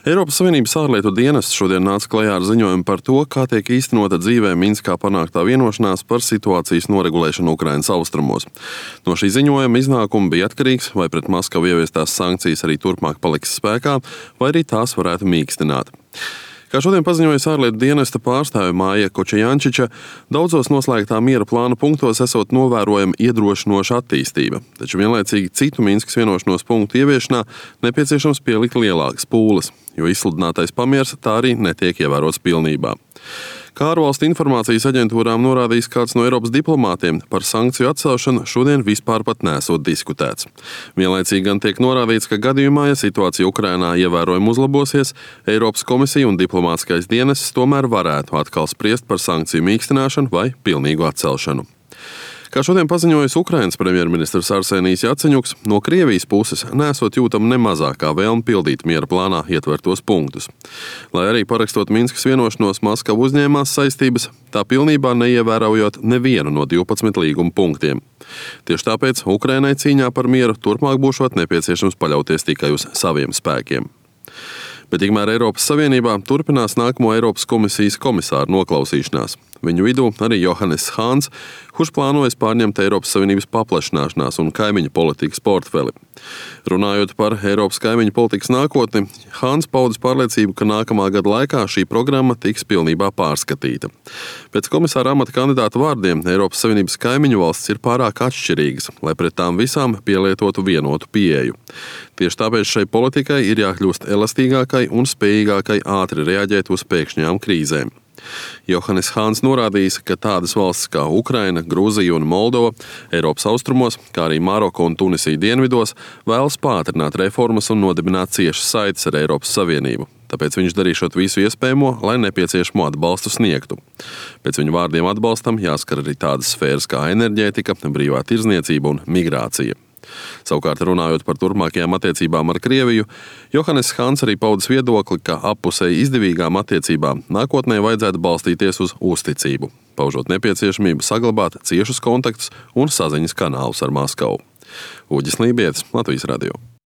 Eiropas Savienības ārlietu dienests šodien nāca klajā ar ziņojumu par to, kā tiek īstenota dzīvē Minskā panāktā vienošanās par situācijas noregulēšanu Ukrainas austrumos. No šī ziņojuma iznākuma bija atkarīgs, vai pret Maskavu ieviestās sankcijas arī turpmāk paliks spēkā, vai arī tās varētu mīkstināt. Kā šodien paziņoja ārlietu dienesta pārstāve Māja Kočejančiča, daudzos noslēgtā miera plāna punktos esot novērojama iedrošinoša attīstība, taču vienlaicīgi citu Minskas vienošanos punktu ieviešanā nepieciešams pielikt lielākas pūles, jo izsludinātais pamiers tā arī netiek ievērots pilnībā. Kā ārvalstu informācijas aģentūrām norādījis kāds no Eiropas diplomātiem, par sankciju atcelšanu šodien vispār pat nesot diskutēts. Vienlaicīgi gan tiek norādīts, ka gadījumā, ja situācija Ukrainā ievērojami uzlabosies, Eiropas komisija un diplomātiskais dienests tomēr varētu atkal spriest par sankciju mīkstināšanu vai pilnīgu atcelšanu. Kā šodien paziņojis Ukrainas premjerministrs Arsenijs Jaceņuks, no Krievijas puses nesot jūtama ne mazākā vēlme pildīt miera plānā ietvertos punktus. Lai arī parakstot Minskas vienošanos, Maskava uzņēmās saistības, tā pilnībā neievērojot nevienu no 12 līguma punktiem. Tieši tāpēc Ukrainai cīņā par mieru turpmāk būšot nepieciešams paļauties tikai uz saviem spēkiem. Bet tikmēr Eiropas Savienībā turpinās nākamo Eiropas komisijas komisāru noklausīšanās. Viņu vidū arī Johannes Hāns, kurš plānojas pārņemt Eiropas Savienības paplašināšanās un kaimiņu politikas portfeli. Runājot par Eiropas kaimiņu politikas nākotni, Hāns paudis pārliecību, ka nākamā gada laikā šī programma tiks pilnībā pārskatīta. Pēc komisāra amata kandidāta vārdiem Eiropas Savienības kaimiņu valstis ir pārāk atšķirīgas, lai pret tām visām pielietotu vienotu pieeju. Tieši tāpēc šai politikai ir jākļūst elastīgākai un spējīgākai ātri reaģēt uz pēkšņām krīzēm. Johannes Hāns norādījis, ka tādas valstis kā Ukraina, Grūzija un Moldova Eiropas austrumos, kā arī Maroka un Tunisija dienvidos, vēlas pātrināt reformas un nodibināt ciešas saites ar Eiropas Savienību. Tāpēc viņš darīšot visu iespējamo, lai nepieciešamo atbalstu sniegtu. Pēc viņa vārdiem atbalstam jāskar arī tādas sfēras kā enerģētika, brīvā tirdzniecība un migrācija. Savukārt runājot par turpmākajām attiecībām ar Krieviju, Johannes Hāns arī paudis viedokli, ka appusēji izdevīgām attiecībām nākotnē vajadzētu balstīties uz uzticību, paužot nepieciešamību saglabāt ciešus kontaktus un saziņas kanālus ar Maskavu. Uģis Lībietis, Latvijas radio.